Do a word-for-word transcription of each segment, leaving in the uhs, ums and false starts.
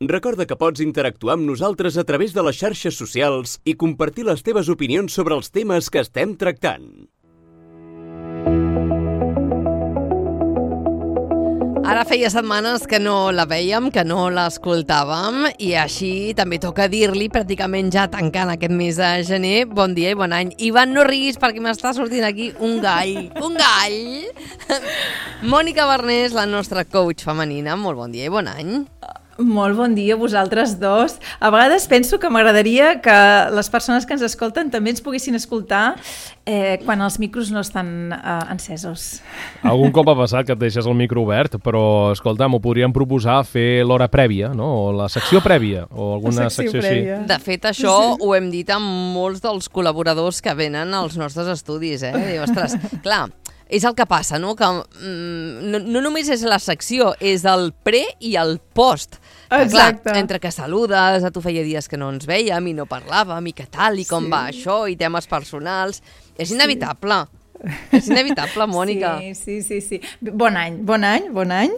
Recorda que pots interactuar amb nosaltres a través de les xarxes socials i compartir les teves opinions sobre els temes que estem tractant. Ara feia setmanes que no la vèiem, que no l'escoltàvem, i així també toca dir-li, pràcticament ja tancant aquest mes de gener, bon dia i bon any. Ivan, no riguis perquè m'està sortint aquí un gall. Un gall! Mònica Barnés, la nostra coach femenina, molt bon dia i bon any. Molt bon dia a vosaltres dos. A vegades penso que m'agradaria que les persones que ens escolten també ens poguessin escoltar eh, quan els micros no estan eh, encesos. Algun cop ha passat que et deixes el micro obert, però, escolta, m'ho podríem proposar fer l'hora prèvia, no? O la secció prèvia, o alguna secció, secció així. De fet, això sí. Ho hem dit amb molts dels col·laboradors que venen als nostres estudis, eh? Diu, ostres, clar, és el que passa, no? Que mm, no, no només és la secció, és el pre i el post. Que, clar, entre que saludes, a tu feia dies que no ens vèiem i no parlàvem, i què tal, i com sí. va això, i temes personals. És inevitable. Sí. És inevitable, Mònica. Sí, sí, sí, sí. Bon any, bon any, bon any.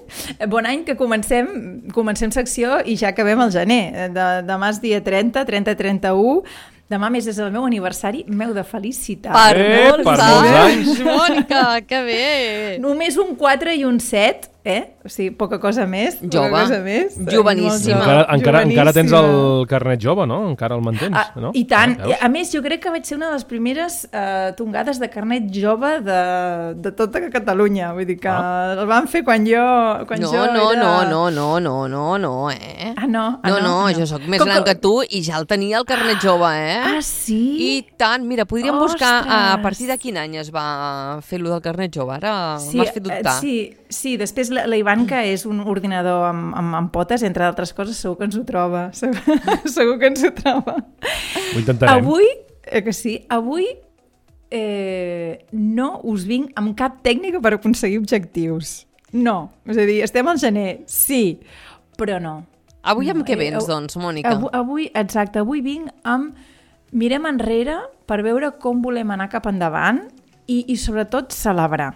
Bon any que comencem, comencem secció i ja acabem el gener. De, demà és dia trenta, trenta, trenta-u. Demà més és el meu aniversari, meu de felicitat. Per, eh, molts, per molts anys, Mònica, que bé. Només un quatre i un set, eh? O sigui, poca cosa més. Jove, poca cosa més. joveníssima. Encara, encara, encara tens el carnet jove, no? Encara el mantens, ah, no? I tant. Ah, a més, jo crec que vaig ser una de les primeres eh, tongades de carnet jove de, de tota Catalunya. Vull dir que ah. el van fer quan jo, quan no, jo no, era... No, no, no, no, no, no, eh? Ah, no? Ah, no, no, no, jo sóc més Com gran que... que tu i ja el tenia el carnet jove, eh? Ah, sí? I tant, mira, podríem Ostres. buscar a partir de quin any es va fer lo del carnet jove. Ara sí, m'has fet dubtar. Sí, sí, després la, la Ivanka és un ordinador amb, amb, amb potes, entre d'altres coses, segur que ens ho troba. Segur, segur que ens ho troba. Ho intentarem. Avui, eh, que sí, avui eh, no us vinc amb cap tècnica per aconseguir objectius. No. És a dir, estem al gener, sí, però no. Avui amb no, què vens, eh, doncs, Mònica? Avui, avui, exacte, avui vinc amb... Mirem enrere per veure com volem anar cap endavant i, i sobretot, celebrar.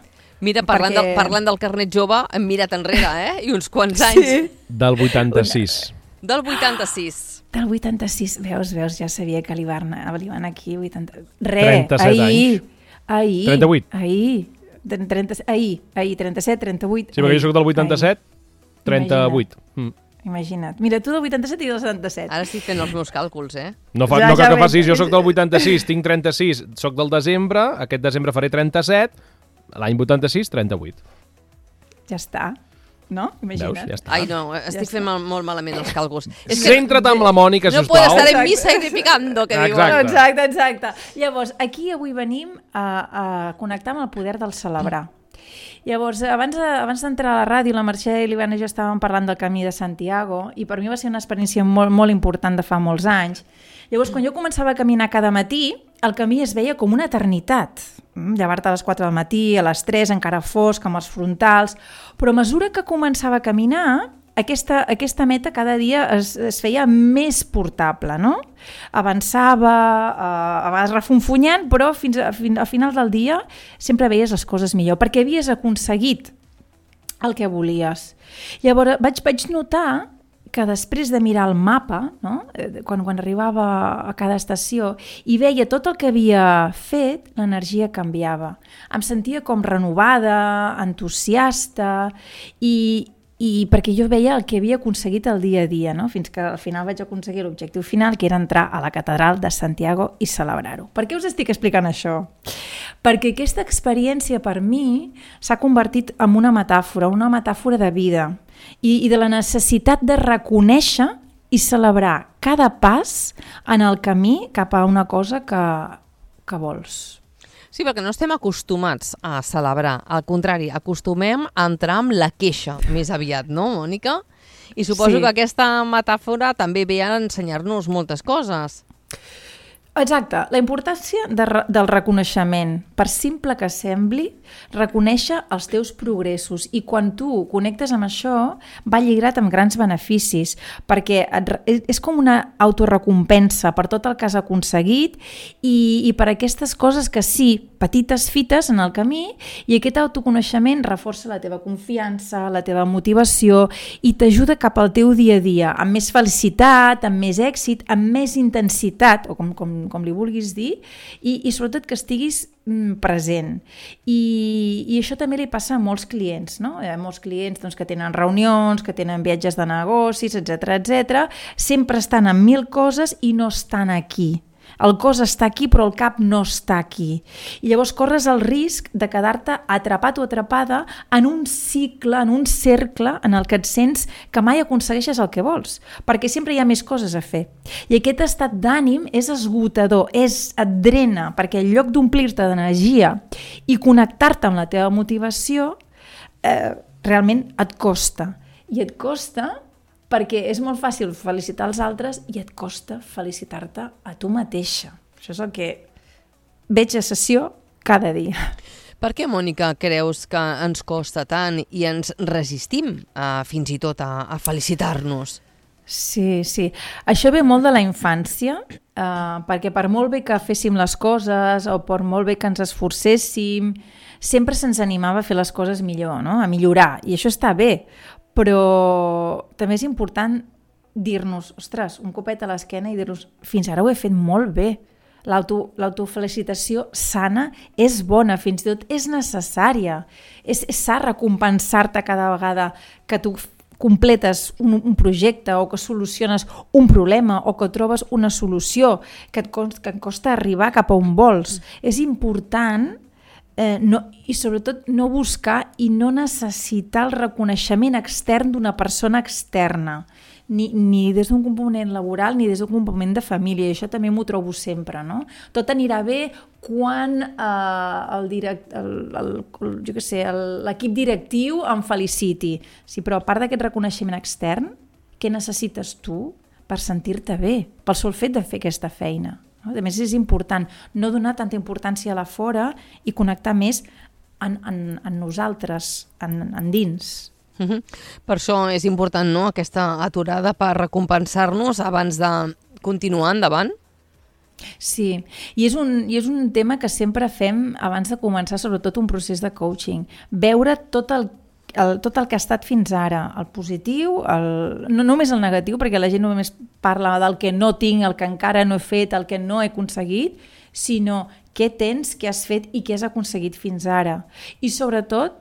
Mira, parlant, Perquè... del, parlant del carnet jove, hem mirat enrere, eh? I uns quants anys. Sí. Del vuitanta-sis. Del vuitanta-sis. Del vuitanta-sis. Veus, veus, ja sabia que li van, li van aquí. vuitanta... Re, trenta-set ahir. anys. Ahir. trenta-vuit. Ahir. trenta, ahir. Ahir, trenta-set, trenta-vuit. Sí, perquè jo soc del vuitanta-set, trenta-vuit. Mm. Imagina't. Mira, tu del vuitanta-set i del setanta-set. Ara estic fent els meus càlculs, eh? No, fa, Ja, no cal ja que facis, veig. jo soc del vuitanta-sis, tinc trenta-sis, soc del desembre, aquest desembre faré trenta-set, l'any vuitanta-sis, trenta-vuit. Ja està. No? Imagina't. Veus? Ja està. Ai, no, estic Ja fent mal, molt malament els càlculs. És Centra't amb la Mònica, no sisplau. puedo estar en misa y picando, que diuen. Exacte. Exacte, exacte. Llavors, aquí avui venim a, a connectar amb el poder del celebrar. Llavors, abans, abans d'entrar a la ràdio, la Mercè i l'Ivana i jo estàvem parlant del Camí de Santiago i per mi va ser una experiència molt, molt important de fa molts anys. Llavors, quan jo començava a caminar cada matí, el camí es veia com una eternitat. Llevar-te a les quatre del matí, a les tres, encara fosc, amb els frontals... Però a mesura que començava a caminar, aquesta, aquesta meta cada dia es, es feia més portable, no? Avançava, eh, a vegades refunfunyant, però fins a, fins, al final del dia sempre veies les coses millor, perquè havies aconseguit el que volies. Llavors vaig, vaig notar que després de mirar el mapa, no? quan, quan arribava a cada estació i veia tot el que havia fet, l'energia canviava. Em sentia com renovada, entusiasta i, i perquè jo veia el que havia aconseguit el dia a dia, no? Fins que al final vaig aconseguir l'objectiu final, que era entrar a la catedral de Santiago i celebrar-ho. Per què us estic explicant això? Perquè aquesta experiència per mi s'ha convertit en una metàfora, una metàfora de vida i, i de la necessitat de reconèixer i celebrar cada pas en el camí cap a una cosa que, que vols. Sí, perquè no estem acostumats a celebrar. Al contrari, acostumem a entrar amb la queixa més aviat, no, Mònica? I suposo Sí. que aquesta metàfora també ve a ensenyar-nos moltes coses. Exacte, la importància de, del reconeixement, per simple que sembli, reconèixer els teus progressos, i quan tu connectes amb això va lligat amb grans beneficis, perquè et, és com una autorrecompensa per tot el que has aconseguit i, i per aquestes coses que sí, petites fites en el camí, i aquest autoconeixement reforça la teva confiança, la teva motivació i t'ajuda cap al teu dia a dia, amb més felicitat, amb més èxit, amb més intensitat, o com, com com li vulguis dir, i, i sobretot que estiguis mm, present. I, I això també li passa a molts clients, no? Hi ha molts clients doncs, que tenen reunions, que tenen viatges de negocis, etcètera, etcètera. Sempre estan en mil coses i no estan aquí. El cos està aquí, però el cap no està aquí. I llavors corres el risc de quedar-te atrapat o atrapada en un cicle, en un cercle en el que et sents que mai aconsegueixes el que vols, perquè sempre hi ha més coses a fer. I aquest estat d'ànim és esgotador, és, et drena, perquè en lloc d'omplir-te d'energia i connectar-te amb la teva motivació, eh, realment et costa. I et costa perquè és molt fàcil felicitar els altres i et costa felicitar-te a tu mateixa. Això és el que veig a sessió cada dia. Per què, Mònica, creus que ens costa tant i ens resistim a, fins i tot a, a felicitar-nos? Sí, sí. Això ve molt de la infància, eh, perquè per molt bé que féssim les coses o per molt bé que ens esforcéssim, sempre se'ns animava a fer les coses millor, no? A millorar, i això està bé. Però també és important dir-nos, ostres, un copet a l'esquena i dir-nos, fins ara ho he fet molt bé. L'auto, l'autofelicitació sana és bona, fins i tot és necessària. És, és sa recompensar-te cada vegada que tu completes un, un projecte o que soluciones un problema o que trobes una solució que et costa, que et costa arribar cap a on vols. Mm. És important Eh, no, i sobretot no buscar i no necessitar el reconeixement extern d'una persona externa, ni, ni des d'un component laboral ni des d'un component de família, i això també m'ho trobo sempre, no? Tot anirà bé quan eh, el direct, el, el, el, jo què sé, el, l'equip directiu em feliciti. Sí, però a part d'aquest reconeixement extern, què necessites tu per sentir-te bé, pel sol fet de fer aquesta feina? A més, és important no donar tanta importància a la fora i connectar més en, en, en nosaltres, en, en dins. Uh-huh. Per això és important, no?, aquesta aturada per recompensar-nos abans de continuar endavant? Sí, i és, un, i és un tema que sempre fem abans de començar sobretot un procés de coaching. Veure tot el El, tot el que ha estat fins ara, el positiu, el, no només el negatiu, perquè la gent només parla del que no tinc, el que encara no he fet, el que no he aconseguit, sinó què tens, què has fet i què has aconseguit fins ara. I sobretot,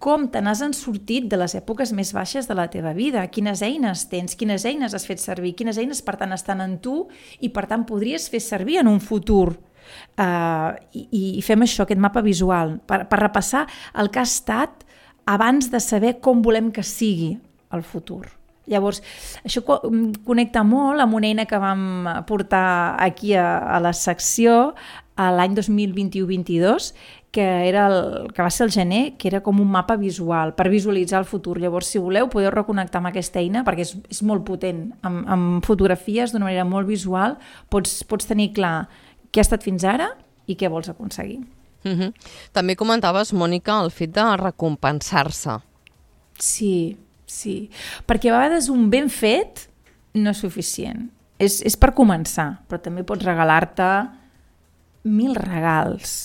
com te n'has sortit de les èpoques més baixes de la teva vida, quines eines tens, quines eines has fet servir, quines eines per tant estan en tu i per tant podries fer servir en un futur. Uh, i, I fem això, aquest mapa visual, per, per repassar el que ha estat abans de saber com volem que sigui el futur. Llavors, això connecta molt amb una eina que vam portar aquí a, a la secció l'any dos mil vint-i-u vint-i-dos, que, era el, que va ser el gener, que era com un mapa visual per visualitzar el futur. Llavors, si voleu, podeu reconnectar amb aquesta eina perquè és, és molt potent. Amb, amb fotografies, d'una manera molt visual, pots, pots tenir clar què ha estat fins ara i què vols aconseguir. Uh-huh. També comentaves, Mònica, el fet de recompensar-se. Sí, sí. Perquè a vegades un ben fet no és suficient. És, és per començar, però també pots regalar-te mil regals.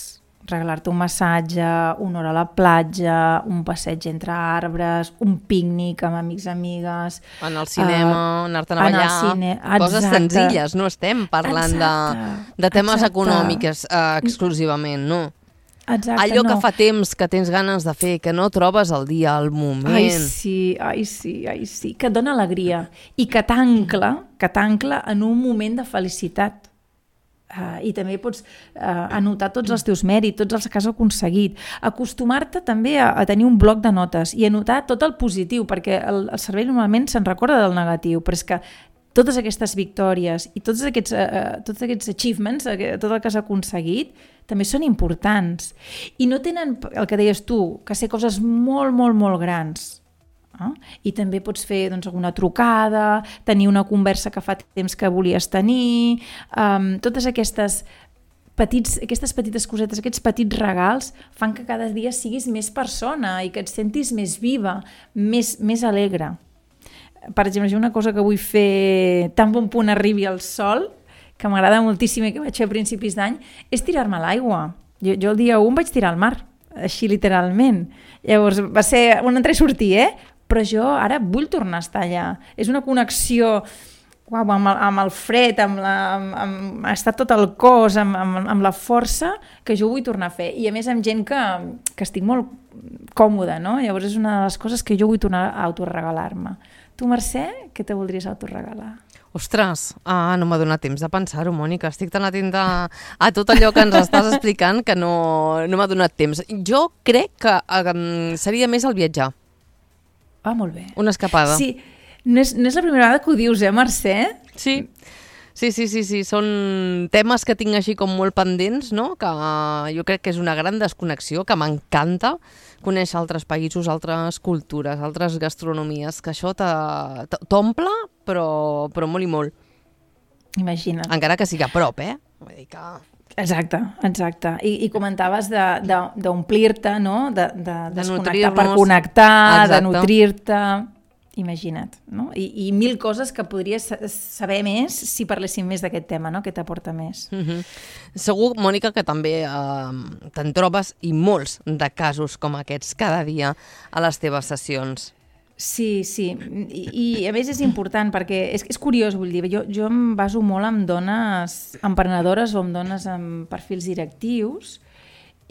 Regalar-te un massatge, una hora a la platja, un passeig entre arbres, un pícnic amb amics i amigues. En el cinema, uh, anar-te'n a ballar, cine, coses senzilles, no estem parlant de, de temes exacte. econòmics uh, exclusivament, no? Exacte, allò no. que fa temps que tens ganes de fer, que no trobes el dia, al moment. Ai sí, ai sí, ai sí, que et dona alegria i que t'ancla, que t'ancla en un moment de felicitat. Uh, I també pots uh, anotar tots els teus mèrits, tots els que has aconseguit. Acostumar-te també a, a tenir un bloc de notes i anotar tot el positiu, perquè el, el cervell normalment se'n recorda del negatiu, però és que totes aquestes victòries i tots aquests, uh, tots aquests achievements, uh, tot el que has aconseguit, també són importants. I no tenen, el que deies tu, que ser coses molt, molt, molt grans. Eh? I també pots fer doncs, alguna trucada, tenir una conversa que fa temps que volies tenir, um, totes aquestes, petits, aquestes petites cosetes, aquests petits regals fan que cada dia siguis més persona i que et sentis més viva, més, més alegre. Per exemple, una cosa que vull fer tan bon punt arribi el sol, que m'agrada moltíssim i que vaig fer a principis d'any, és tirar-me a l'aigua. Jo, jo el dia u em vaig tirar al mar, així literalment. Llavors va ser un entrar i sortir, eh? Però jo ara vull tornar a estar allà. És una connexió uau, amb, el, amb el fred, amb, la, amb, amb estar tot el cos, amb, amb, amb la força, que jo vull tornar a fer. I a més amb gent que, que estic molt còmoda, no? Llavors és una de les coses que jo vull tornar a autoregalar-me. Tu, Mercè, què te voldries autoregalar? Ostres, ah, no m'ha donat temps de pensar-ho, Mònica. Estic tan atenta a tot allò que ens estàs explicant que no, no m'ha donat temps. Jo crec que um, seria més el viatjar. Ah, molt bé. Una escapada. Sí, no és, no és la primera vegada que ho dius, eh, Mercè? Sí. Sí, sí, sí, sí, són temes que tinc així com molt pendents, no? Que jo crec que és una gran desconnexió, que m'encanta conèixer altres països, altres cultures, altres gastronomies, que això t'omple, però, però molt i molt. Imagina't. Encara que sigui a prop, eh? Vull dir que... Exacte, exacte. I, i comentaves d'omplir-te, no? De, de, de desconnectar per nutrir-nos. Connectar, Exacte. De nutrir-te... Imagina't, no? I, i mil coses que podries saber més si parléssim més d'aquest tema, no? Que t'aporta més. Mm-hmm. Segur, Mònica, que també eh, te'n trobes i molts de casos com aquests cada dia a les teves sessions. Sí, sí, I, i a més és important perquè és, és curiós, vull dir, jo, jo em baso molt en dones emprenedores o en dones amb perfils directius,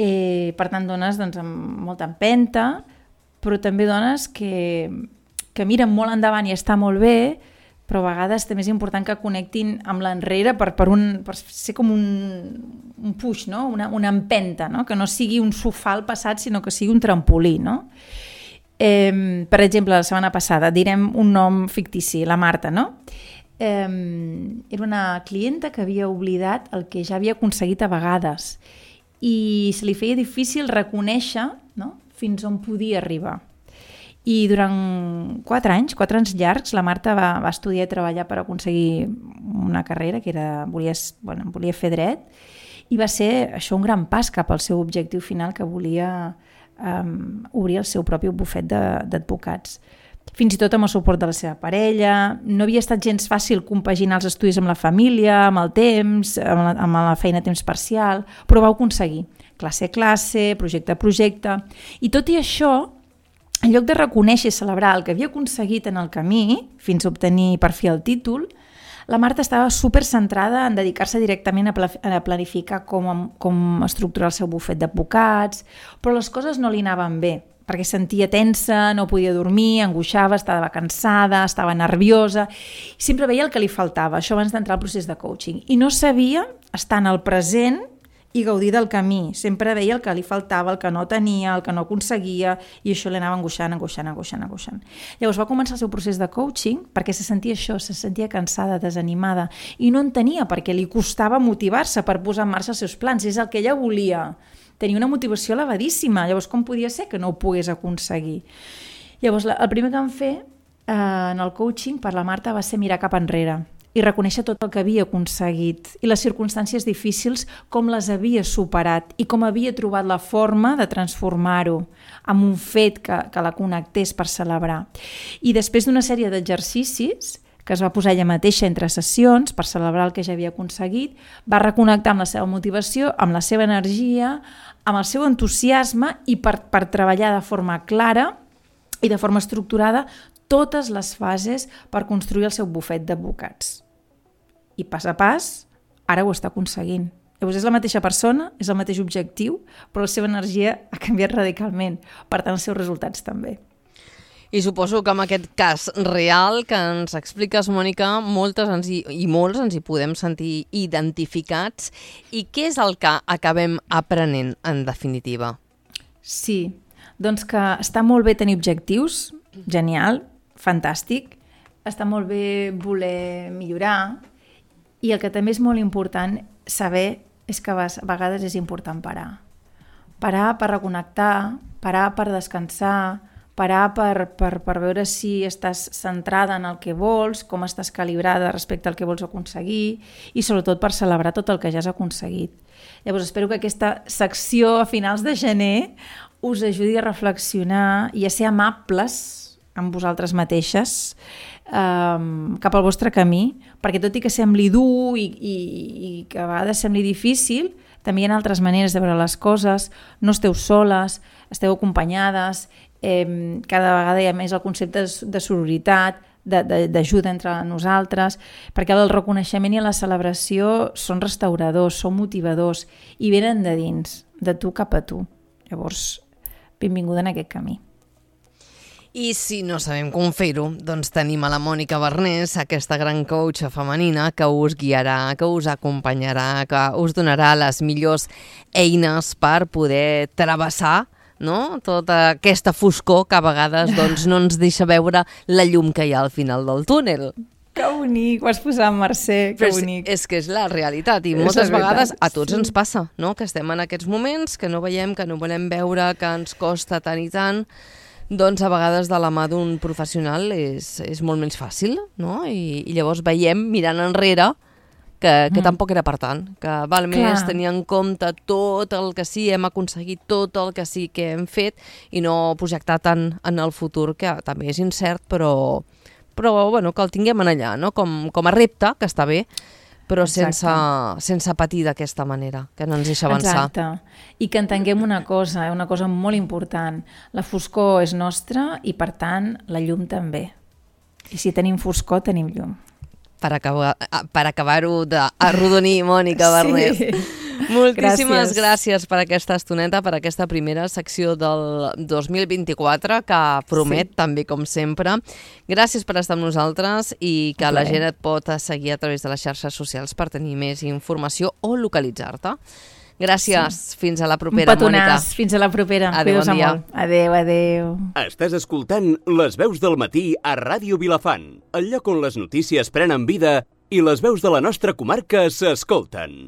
eh, per tant dones doncs, amb molta empenta, però també dones que, que miren molt endavant i està molt bé, però a vegades també és important que connectin amb l'enrere per, per, un, per ser com un, un push, no? una, una empenta, no? Que no sigui un sofà al passat, sinó que sigui un trampolí, no? Eh, per exemple, la setmana passada, direm un nom fictici, la Marta, no? Eh, era una clienta que havia oblidat el que ja havia aconseguit a vegades i se li feia difícil reconèixer, no? Fins on podia arribar. I durant quatre anys, quatre anys llargs, la Marta va, va estudiar i treballar per aconseguir una carrera que era, volia, bueno, volia fer dret, i va ser això un gran pas cap al seu objectiu final, que volia um, obrir el seu propi bufet d'advocats. Fins i tot amb el suport de la seva parella. No havia estat gens fàcil compaginar els estudis amb la família, amb el temps, amb la, amb la feina a temps parcial, però va aconseguir. Classe a classe, projecte a projecte. I tot i això, en lloc de reconèixer i celebrar el que havia aconseguit en el camí, fins a obtenir per fi el títol, la Marta estava super centrada en dedicar-se directament a, pla a planificar com, com estructurar el seu bufet d'advocats, però les coses no li anaven bé, perquè sentia tensa, no podia dormir, angoixava, estava cansada, estava nerviosa, i sempre veia el que li faltava, això abans d'entrar al procés de coaching, i no sabia estar en el present i gaudir del camí. Sempre veia el que li faltava, el que no tenia, el que no aconseguia, i això l'anava angoixant, angoixant, angoixant, angoixant. Llavors va començar el seu procés de coaching perquè se sentia això, se sentia cansada, desanimada, i no entenia per què li costava motivar-se per posar en marxa els seus plans. És el que ella volia. Tenia una motivació elevadíssima. Llavors, com podia ser que no ho pogués aconseguir? Llavors, el primer que vam fer eh, en el coaching per la Marta va ser mirar cap enrere i reconèixer tot el que havia aconseguit i les circumstàncies difícils, com les havia superat i com havia trobat la forma de transformar-ho en un fet que, que la connectés per celebrar. I després d'una sèrie d'exercicis que es va posar ella mateixa entre sessions per celebrar el que ja havia aconseguit, va reconnectar amb la seva motivació, amb la seva energia, amb el seu entusiasme i per, per treballar de forma clara i de forma estructurada totes les fases per construir el seu bufet d'advocats. I pas a pas, ara ho està aconseguint. Llavors és la mateixa persona, és el mateix objectiu, però la seva energia ha canviat radicalment. Per tant, els seus resultats també. I suposo que amb aquest cas real que ens expliques, Mònica, moltes ens hi, i molts ens hi podem sentir identificats. I què és el que acabem aprenent, en definitiva? Sí, doncs que està molt bé tenir objectius, genial, fantàstic, està molt bé voler millorar, i el que també és molt important saber és que a vegades és important parar. Parar per reconnectar, parar per descansar, parar per, per, per veure si estàs centrada en el que vols, com estàs calibrada respecte al que vols aconseguir i sobretot per celebrar tot el que ja has aconseguit. Llavors espero que aquesta secció a finals de gener us ajudi a reflexionar i a ser amables amb vosaltres mateixes um, cap al vostre camí, perquè tot i que sembli dur i, i, i que a vegades sembli difícil, també hi ha altres maneres de veure les coses, no esteu soles, esteu acompanyades, eh, cada vegada hi ha més el concepte de sororitat, d'ajuda entre nosaltres, perquè el reconeixement i la celebració són restauradors, són motivadors i venen de dins, de tu cap a tu. Llavors, benvinguda en aquest camí. I si no sabem com fer-ho, doncs tenim a la Mònica Barnés, aquesta gran coach femenina que us guiarà, que us acompanyarà, que us donarà les millors eines per poder travessar, no? Tota aquesta foscor que a vegades doncs, no ens deixa veure la llum que hi ha al final del túnel. Que bonic, ho has posat, Mercè, que Però bonic. És, és que és la realitat i És moltes la vegades veritat, a tots sí. ens passa, no? Que estem en aquests moments, que no veiem, que no volem veure, que ens costa tant i tant, doncs a vegades de la mà d'un professional és, és molt més fàcil, no? I, i llavors veiem, mirant enrere, que, que mm. tampoc era per tant, que val més Clar. tenir en compte tot el que sí hem aconseguit, tot el que sí que hem fet i no projectar tant en el futur, que també és incert, però, però bueno, que el tinguem en allà, no? com, com a repte, que està bé, però sense, sense patir d'aquesta manera, que no ens deixa avançar. Exacte. I que entenguem una cosa, una cosa molt important. La foscor és nostra i, per tant, la llum també. I si tenim foscor, tenim llum. Per acabar, per acabar-ho d'arrodonir, Mònica Barnés. Sí. Moltíssimes Gràcies. gràcies per aquesta estoneta, per aquesta primera secció del dos mil vint-i-quatre, que promet, sí. també com sempre. Gràcies per estar amb nosaltres i que la gent et pot seguir a través de les xarxes socials per tenir més informació o localitzar-te. Gràcies. Sí. Fins a la propera, Un petonàs. Mònica. Fins a la propera. Adéu, bon dia. Molt. Adéu, adéu. Estàs escoltant Les veus del matí a Ràdio Vilafant, el lloc on les notícies prenen vida i les veus de la nostra comarca s'escolten.